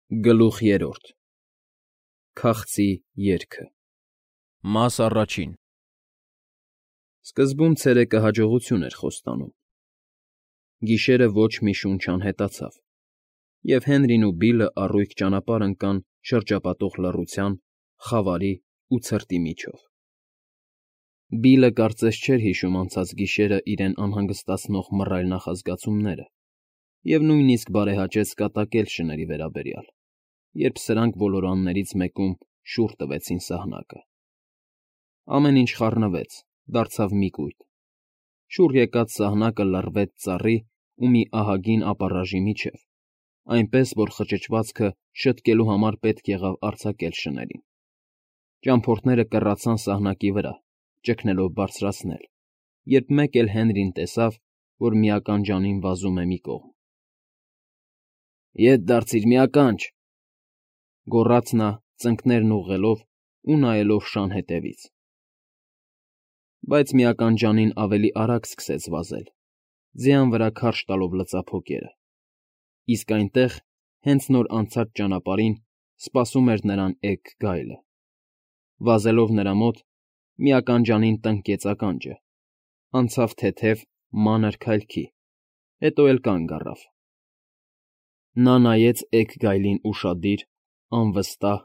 Գլուխ երրորդ Քաղցի երգը Մաս առաջին Սկզբում ցերեկը հաջողություն էր խոստանում։ Գիշերը ոչ մի շունչ անհետացավ, և Հենրին ու Բիլլը առույգ ճանապարհ ընկան շրջապատող լռության, խավարի ու ցրտի միջով։ Բիլլը կարծես չէր հիշում անցած գիշերը իրեն անհանգստացնող մռայլ նախազգացումները և նույնիսկ բարեհաճեց կատակել շների վերաբերյալ, երբ սրանք ոլորաններից մեկում շուռ տվեցին սահնակը։ Ամեն ինչ խառնվեց, դարձավ մի կույտ։ Շուռ եկած սահնակը լռվեց ծառի ու մի ահագին ապառաժի միջև, այնպես որ խճճվածքը շտկելու համար պետք եղավ արձակել շներին։ Ճամփորդները կռացան սահնակի վրա, ճգնելով բարձրացնել, երբ մեկ էլ Հենրին տեսավ, որ մի ականջանին վազում է մի կողմ։ «Ետ դարձիր, մի ականջ,֊ գոռաց նա, ծնկներն ուղղելով ու նայելով շան ետևից։ Բայց մի ականջանին ավելի արագ սկսեց վազել, ձյան վրա քարշ տալով լծափոկերը, իսկ այնտեղ, հենց նոր անցած ճանապարհին, սպասում էր նրան էգ գայլը։ Վազելով նրա մոտ՝ մի ականջանին տնկեց ականջը, անցավ թեթև, մանր քայլքի, հետո էլ կանգ առավ։ Նա նայեց էգ գայլին ուշադիր, անվստահ,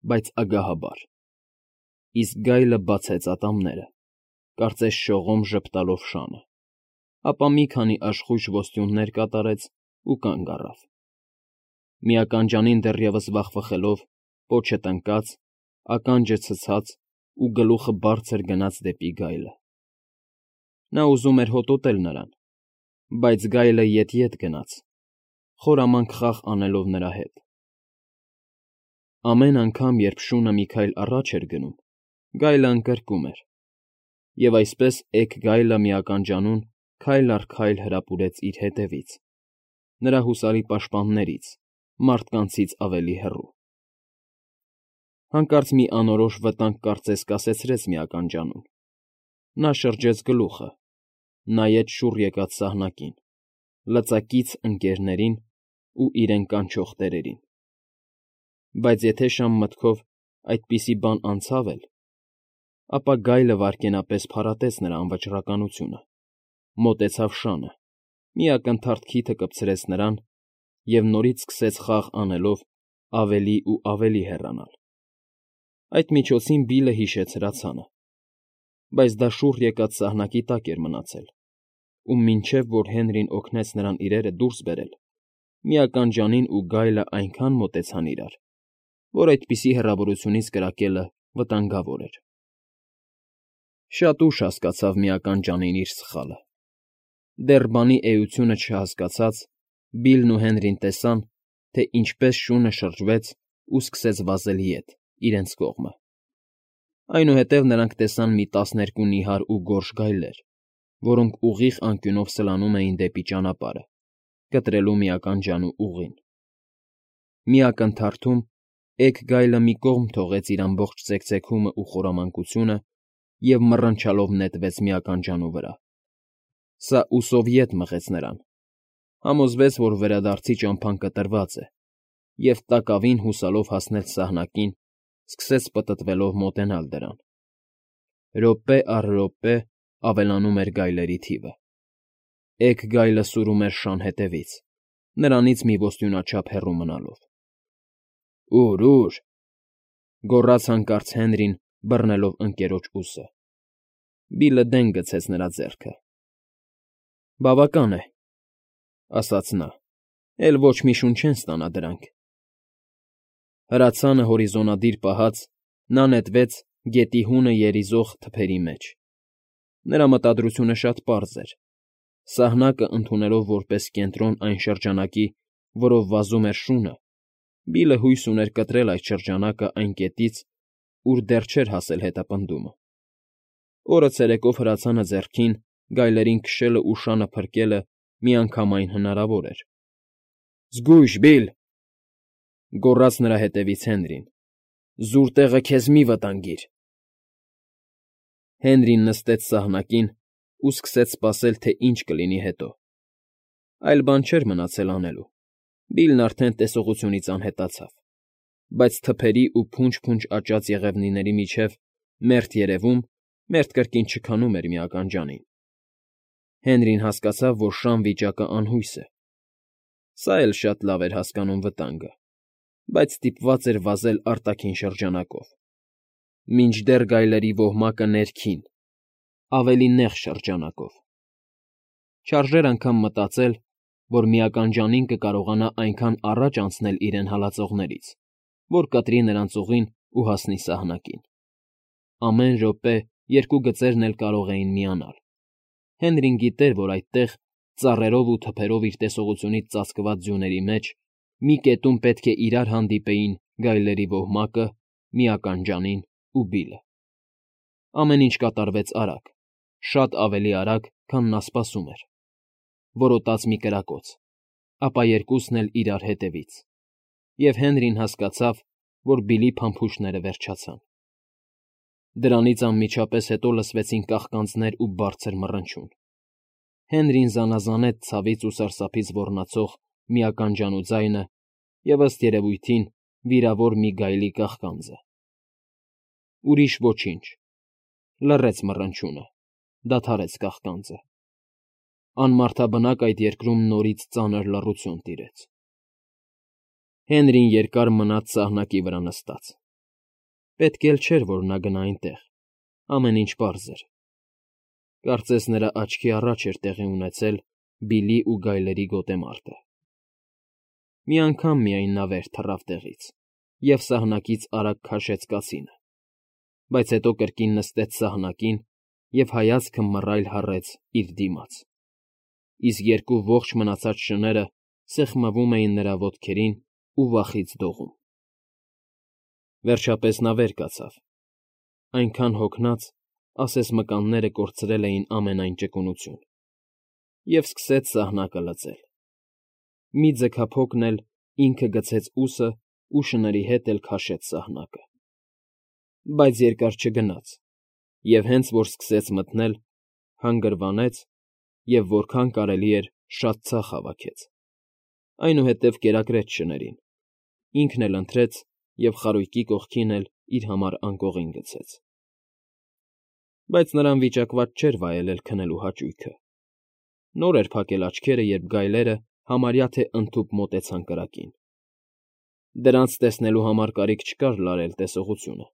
բայց ագահաբար, իսկ գայլը բացեց ատամները, կարծես շողոմ ժպտալով շանը, ապա մի քանի աշխույժ ոստյուններ կատարեց ու կանգ առավ։ Մի ականջանին դեռևս վախվխելով, պոչը տնկած, ականջը ցցած ու գլուխը բարձր գնաց դեպի գայլը։ Նա ուզում էր հոտոտել նրան, բայց գայլը ետ գնաց, խորամանկ խաղ անելով նրա հետ։ Ամեն անգամ, երբ շունը մի քայլ առաջ էր գնում, գայլը ընկրկում էր, և այսպես էգ գայլը մի ականջանուն քայլ առ քայլ հրապուրեց իր ետևից, նրա հուսալի պաշտպաններից, մարդկանցից ավելի հեռու։ Հանկարծ մի անորոշ վտանգ կարծես կասեցրեց մի ականջանուն։ Նա շրջեց գլուխը, նայեց շուռ եկած սահնակին, լծակից ընկներներին ու իրեն կանչող տերերին։ Բայց եթե շան մտքով այդպիսի բան անցավ էլ, ապա գայլը վայրկենապես փարատեց նրա անվճռականությունը, մոտեցավ շանը, մի ակնթարթ քիթը կպցրեց նրան և նորից սկսեց խաղ անելով ավելի ու ավելի հեռանալ։ Այդ միջոցին Բիլլը հիշեց հրացանը, բայց դա շուռ եկած սահնակի տակ էր մնացել, ու մինչև որ Հենրին օգնեց նրան իրերը դուրս բերել, մի ականջանին ու գայլը այնքան մոտեցան իրար, որ այդպիսի հեռավորությունից կրակելը վտանգավոր էր։ Շատ ուշ հասկացավ մի ականջանին իր սխալը։ Դեռ բանի էությունը չհասկացած, Բիլլն ու Հենրին տեսան, թե ինչպես շունը շրջվեց ու սկսեց վազել ետ, իրենց կողմը։ Այնուհետև նրանք տեսան մի 12 նիհար ու գորշ գայլեր, որոնք ուղիղ անկյունով սլանում էին դեպի ճանապարհը, կտրելու մի ականջանու ուղին։ Մի ակնթարթում էգ գայլը մի կողմ թողեց իր ամբողջ ծեքծեքումն ու խորամանկությունը և մռնչալով նետվեց մի ականջանու վրա։ Սա ուսով ետ մղեց նրան, համոզվեց, որ վերադարձի ճամփան կտրված է, և տակավին հուսալով հասնել սահնակին, սկսեց պտտվելով մոտենալ դրան։ Րոպե առ րոպե ավելանում էր գայլերի թիվը։ Էգ գայլը սուրում էր շան ետևից, նրանից մի ոստյունաչափ հեռու մնալով։ «Ուր,֊ գոռաց հանկարծ Հենրին, բռնելով ընկերոջ ուսը։ Բիլլը դեն գցեց նրա ձեռքը։ «Բավական է,֊ ասաց նա,֊ էլ ոչ մի շուն չեն ստանա դրանք»։ Հրացանը հորիզոնադիր պահած՝ նա նետվեց գետի հունը երիզող թփերի մեջ։ Նրա մտադրությունը շատ պարզ էր. սահնակը ընդունելով որպես կենտրոն այն շրջանակի, որով վազում էր շունը, Բիլլը հույս ուներ կտրել այդ շրջանակը այն կետից, ուր դեռ չէր հասել հետապնդումը։ Օրը ցերեկով հրացանը ձեռքին, գայլերին քշելն ու շանը փրկելը միանգամայն հնարավոր էր։ «Զգույշ, Բիլլ,֊ գոռաց նրա հետևից Հենրին,֊ զուր տեղը քեզ մի վտանգիր»։ Հենրին նստեց սահնակին ու սկսեց սպասել, թե ինչ կլինի հետո։ Այլ բան չէր մնացել անելու, Բիլն արդեն տեսողությունից անհետացավ, բայց թփերի ու փունջ-փունջ աճած եղևնիների միջև մերթ երևում, մերթ կրկին չքանում էր մի ականջանին։ Հենրին հասկացավ, որ շան վիճակը անհույս է։ Սա էլ շատ լավ էր հասկանում վտանգը, բայց ստիպված էր վազել արտաքին շրջանակով, մինչդեռ գայլերի ոհմակը ներքին, ավելի նեղ շրջանակով։ Չարժեր անգամ մտածել, որ մի ականջանին կկարողանա այնքան առաջ անցնել իրեն հալածողներից, որ կտրի նրանց ուղին ու հասնի սահնակին։ Ամեն րոպե երկու գծերն էլ կարող էին միանալ։ Հենրին գիտեր, որ այդտեղ, ծառերով ու թփերով իր տեսողությունից ծածկված ձյուների մեջ, մի կետում պետք է իրար հանդիպեին գայլերի ոհմակը, մի ականջանին ու Բիլը։ Ամեն ինչ կատարվեց արագ, շատ ավելի արագ, քան նա սպասում էր։ Որոտաց մի կրակոց, ապա երկուսն էլ իրար հետևից, և Հենրին հասկացավ, որ Բիլի փամփուշտները վերջացան։ Դրանից անմիջապես հետո լսվեցին կաղկանձներ ու բարձր մռնչյուն։ Հենրին զանազանեց ցավից ու սարսափից ոռնացող մի ականջանու ձայնը և, ըստ երևույթին, վիրավոր մի գայլի կաղկանձը։ Ուրիշ ոչինչ։ Լռեց մռնչյունը, դադարեց կաղկանձը։ Անմարդաբնակ այդ երկրում նորից ծանր լռություն տիրեց։ Հենրին երկար մնաց սահնակի վրա նստած։ Պետք էլ չէր, որ նա գնա այնտեղ, ամեն ինչ պարզ էր։ Կարծես նրա աչքի առաջ էր տեղի ունեցել Բիլի ու գայլերի գոտեմարտը։ Մի անգամ միայն նա վեր թռավ տեղից և սահնակից արագ քաշեց կացինը, բայց հետո կրկին նստեց սահնակին և հայացքը մռայլ հառեց իր դիմաց, իսկ երկու ողջ մնացած շները սեղմվում էին նրա ոտքերին ու վախից դողում։ Վերջապես նա վեր կացավ, այնքան հոգնած, ասես մկանները կորցրել էին ամենայն ճկունություն, և սկսեց սահնակը լծել։ Մի ձգափոքն էլ ինքը գցեց ուսը ու շների հետ էլ քաշեց սահնակը։ Բայց երկար չգնաց, և հենց որ սկսեց մթնել, հանգրվանեց և որքան կարելի էր շատ ցախ հավաքեց, այնուհետև կերակրեց շներին, ինքն էլ ընթրեց և խարույկի կողքին էլ իր համար անկողին գցեց։ Բայց նրան վիճակված չէր վայելել քնելու հաճույքը։ Նոր էր փակել աչքերը, երբ գայլերը համարյա թե ընդհուպ մոտեցան կրակին։ Դրանց տեսնելու համար կարիք չկար լարել տեսողությունը։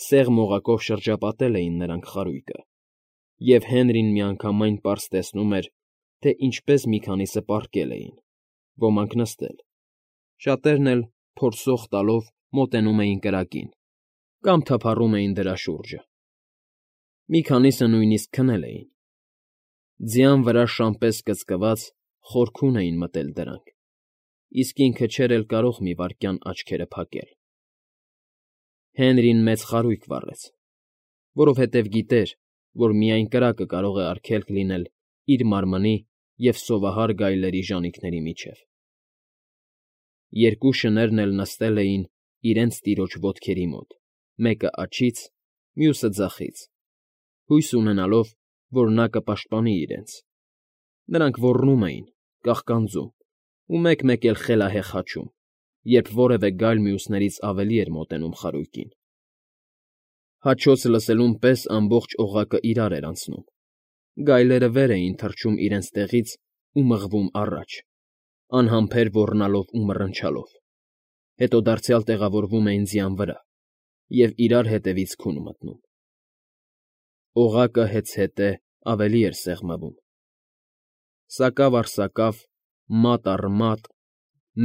Սեղմ օղակով շրջապատել էին նրանք խարույկը, և Հենրին միանգամայն պարզ տեսնում էր, թե ինչպես մի քանիսը պառկել էին, ոմանք նստել, շատերն էլ, փորսող տալով, մոտենում էին կրակին կամ թափառում էին դրա շուրջը։ Մի քանիսը նույնիսկ քնել էին։ Ձյան վրա շան պես կծկված, խորքուն էին մտել դրանք, իսկ ինքը չէր էլ կարող մի վայրկյան աչքերը փակել։ Հենրին մեծ խարույկ վառեց, որովհետև գիտեր, որ միայն կրակը կարող է արգելք լինել իր մարմնի և սովահար գայլերի ժանիքների միջև։ Երկու շներն էլ նստել էին իրենց տիրոջ ոտքերի մոտ, մեկը աջից, մյուսը ձախից, հույս ունենալով, որ նա կպաշտպանի իրենց։ Նրանք ոռնում էին, կաղկանձում ու մեկ֊մեկ էլ խելահեղ հաչում, երբ որևէ գայլ մյուսներից ավելի էր մոտենում խարույկին։ Հաչոց լսելուն պես ամբողջ օղակը իրար էր անցնում։ Գայլերը վեր էին թռչում իրենց տեղից ու մղվում առաջ, անհամբեր ոռնալով ու մռնչալով, հետո դարձյալ տեղավորվում էին ձյան վրա և իրար հետևից քուն մտնում։ Օղակը հեծհետե ավելի էր սեղմվում։ Սակավ առ սակավ, մատ առ մատ,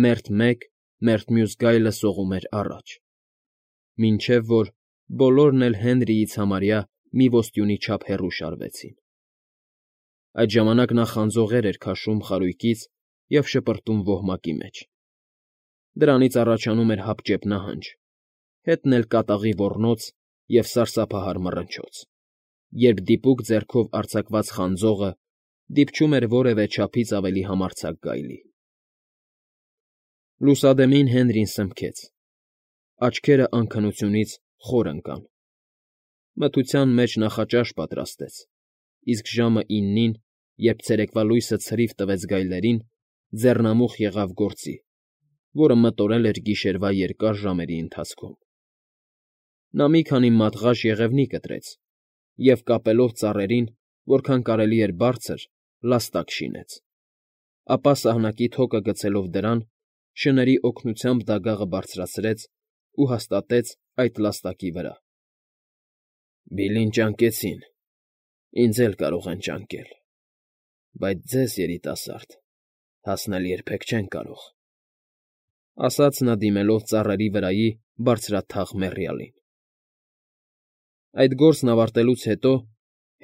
մերթ մեկ, մերթ մյուս գայլը սողում էր առաջ, մինչև որ բոլորն էլ Հենրիից համարյա մի ոստյունի չափ հեռու շարվեցին։ Այդ ժամանակ նա խանձողեր էր քաշում խարույկից և շպրտում ոհմակի մեջ։ Դրանից առաջանում էր հապճեպ նահանջ, հետն էլ կատաղի ոռնոց և սարսափահար մռնչոց, երբ դիպուկ ձեռքով արձակված խանձողը դիպչում էր որևէ չափից ավելի համարձակ գայլի։ Լուսադեմին Հենրին սմքեց։ Աչքերը անքնությունից խոր ընկան։ Մթության մեջ նախաճաշ պատրաստեց, իսկ ժամը 9-ին, երբ ցերեկվա լույսը ցրիվ տվեց գայլերին, ձեռնամուխ եղավ գործի, որը մտորել էր գիշերվա երկար ժամերի ընթացքում։ Նա մի քանի մատղաշ եղևնի կտրեց և, կապելով ծառերին, որքան կարելի էր բարձր, լաստակ շինեց, ապա սահնակի թոկը գցելով դրան, շների օգնությամբ դագաղը բարձրացրեց ու հաստատեց այդ լաստակի վրա։ «Բիլլին ճանկեցին, ինձ էլ կարող են ճանկել, բայց ձեզ, երիտասարդ, հասնել երբեք չեն կարող», ֊ ասաց նա, դիմելով ծառերի վրայի բարձրաթաղ մեռյալին։ Այդ գործն ավարտելուց հետո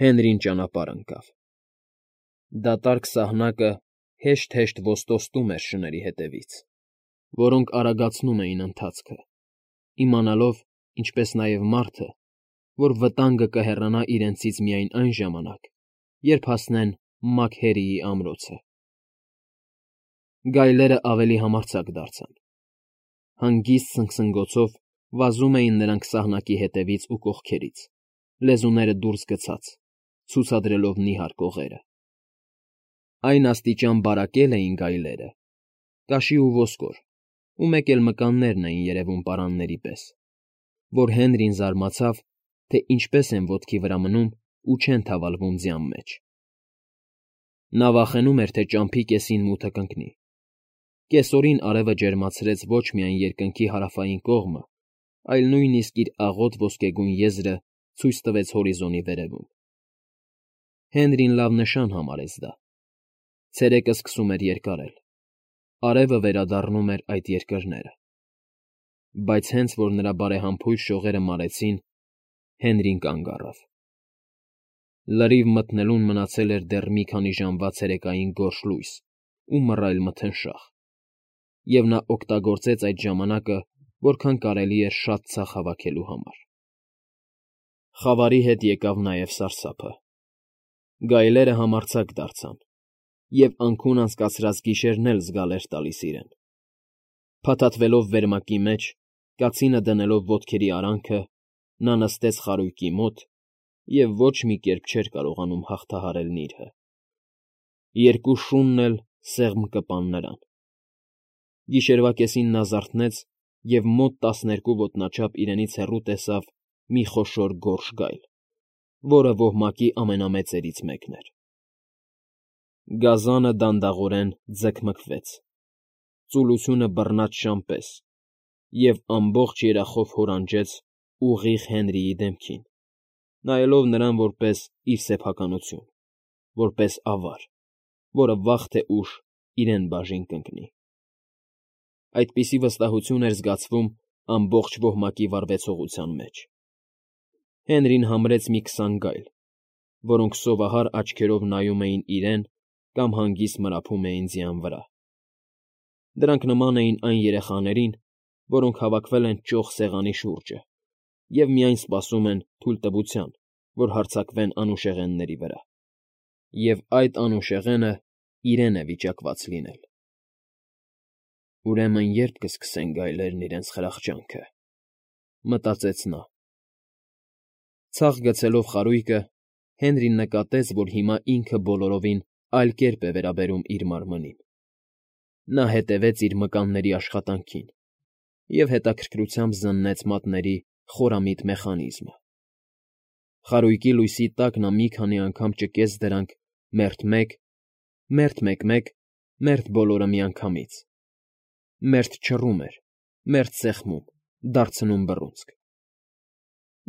Հենրին ճանապարհ ընկավ։ Դատարկ սահնակը հեշտ֊հեշտ ոստոստում էր շների հետևից, որոնք արագացնում էին ընթացքը, իմանալով, ինչպես նաև մարդը, որ վտանգը կհեռանա իրենցից միայն այն ժամանակ, երբ հասնեն Մաքհերիի ամրոցը։ Գայլերը ավելի համարձակ դարձան։ Հանգիստ սնգսնգոցով վազում էին նրանք սահնակի հետևից ու կողքերից, լեզուները դուրս գցած, ցուցադրելով նիհար կողերը։ Այն աստիճան բարակել էին գայլերը, կաշի ու ոսկոր, ու մեկ էլ մկաններն էին երևում պարանների պես, որ Հենրին զարմացավ, թե ինչպես են ոտքի վրա մնում ու չեն թավալվում ձյան մեջ։ Նա վախենում էր, թե ճամփի կեսին մութը կընկնի։ Կեսօրին արևը ջերմացրեց ոչ միայն երկնքի հարավային կողմը, այլ նույնիսկ իր աղոտ ոսկեգույն եզրը ցույց տվեց հորիզոնի վերևում։ Հենրին լավ նշան համարեց դա։ Ցերեկը սկսում էր երկարել, արևը վերադառնում էր այդ երկրները։ Բայց հենց որ նրա բարեհամբույր շողերը մարեցին, Հենրին կանգ առավ։ Լրիվ մթնելուն մնացել էր դեռ մի քանի ժամվա ցերեկային գորշ լույս ու մռայլ մթնշաղ, և նա օգտագործեց այդ ժամանակը, որքան կարելի էր շատ ցախ հավաքելու համար։ Խավարի հետ եկավ նաև սարսափը։ Գայլերը համարձակ դարձան, և անքուն անցկացրած գիշերն էլ զգալ էր տալիս իրեն։ Փաթաթվելով վերմակի մեջ, կացինը դնելով ոտքերի արանքը, նա նստեց խարույկի մոտ և ոչ մի կերպ չէր կարողանում հաղթահարել նիրհը։ Երկու շունն էլ սեղմ կպան նրան։ Գիշերվա կեսին նա զարթնեց և մոտ 12 ոտնաչափ իրենից հեռու տեսավ մի խոշոր գորշ գայլ, որը ոհմակի ամենամեծերից մեկն էր։ Գազանը դանդաղորեն ձգմգվեց, ծուլությունը բռնած շան պես, և ամբողջ երախով հորանջեց ուղիղ Հենրիի դեմքին, նայելով նրան որպես իր սեփականություն, որպես ավար, որը վաղ թե ուշ իրեն բաժին կընկնի։ Այդպիսի վստահություն էր զգացվում ամբողջ ոհմակի վարվեցողության մեջ։ Հենրին համրեց մի 20 գայլ, որոնք սովահար աչքերով նայում էին իրեն կամ հանգիստ մրափում էին ձյան վրա։ Դրանք նման էին այն երեխաներին, որոնք հավաքվել են ճոխ սեղանի շուրջը և միայն սպասում են թույլտվության, որ հարձակվեն անուշեղենների վրա, և այդ անուշեղենը իրեն է վիճակված լինել։ «Ուրեմն ե՞րբ կսկսեն գայլերն իրենց խրախճանքը», ֊ մտածեց նա։ Ցախ գցելով խարույկը, Հենրին նկատեց, որ հիմա ինքը բոլորովին այլ կերպ է վերաբերում իր մարմնին։ Նա հետևեց իր մկանների աշխատանքին և հետաքրքրությամբ զննեց մատների խորամիտ մեխանիզմը։ Խարույկի լույսի տակ նա մի քանի անգամ ճկեց դրանք մերթ մեկ, մերթ մեկ֊մեկ, մերթ բոլորը միանգամից, մերթ չռում էր, մերթ սեղմում, դարձնում բռունցք։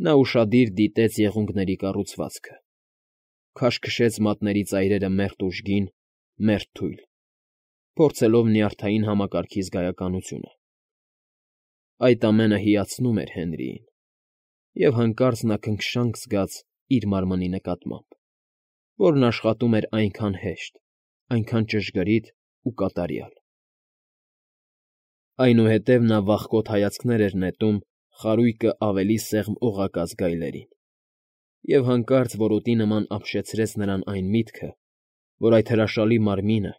Նա ուշադիր դիտեց եղունգների կառուցվածքը, քաշքշեց մատների ծայրերը մերթ ուժգին, մերթ թույլ, փորձելով նյարդային համակարգի զգայականությունը։ Այդ ամենը հիացնում էր Հենրիին, և հանկարծ նա քնքշանք զգաց իր մարմնի նկատմամբ, որն աշխատում էր այնքան հեշտ, այնքան ճշգրիտ ու կատարյալ։ Այնուհետև նա վախկոտ հայացքներ էր նետում խարույկը ավելի սեղմ օղակած գայլերին, և հանկարծ որոտի նման ապշեցրեց նրան այն միտքը, որ այդ հրաշալի մարմինը,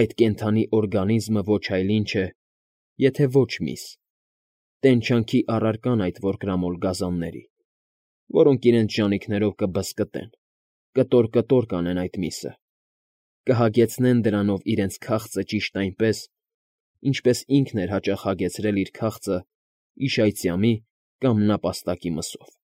այդ կենդանի օրգանիզմը ոչ այլ ինչ է, եթե ոչ միս, տենչանքի առարկան այդ որկրամոլ գազանների, որոնք իրենց ժանիքներով կբզկտեն, կտոր֊կտոր կանեն այդ միսը, Կհագեցնեն դրանով իրենց քաղցը ճիշտ այնպես, ինչպես ինքն էր հաճախ հագեցրել իր քաղցը իշայծյամի կամ նապաստակի մսով։